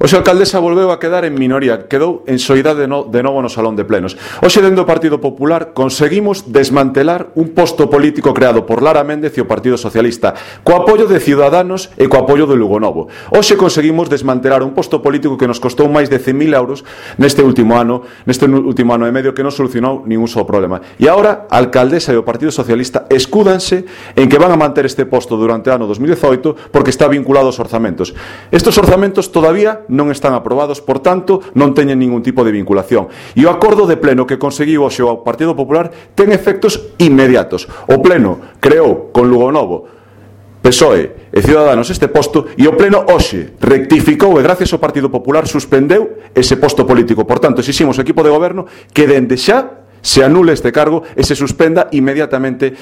Hoxe a alcaldesa volveu a quedar en minoría, quedou en soidade de novo no Salón de Plenos. Hoxe, dentro do Partido Popular, conseguimos desmantelar un posto político creado por Lara Méndez e o Partido Socialista, co apoio de Ciudadanos e co apoio do Lugo Novo. Hoxe conseguimos desmantelar un posto político que nos costou máis de 100.000 euros neste último ano e medio, que non solucionou ningún só problema. E agora, a alcaldesa e o Partido Socialista escúdanse en que van a manter este posto durante o ano 2018 porque está vinculado aos orzamentos. Estes orzamentos todavía non están aprobados, por tanto, non teñen ningún tipo de vinculación. E o acordo de pleno que conseguiu hoxe o Partido Popular ten efectos inmediatos. O pleno creou con Lugo Novo, PSOE e Ciudadanos este posto, e o pleno hoxe rectificou e gracias ao Partido Popular suspendeu ese posto político. Por tanto, exiximos ao equipo de goberno que dende xa se anule este cargo e se suspenda inmediatamente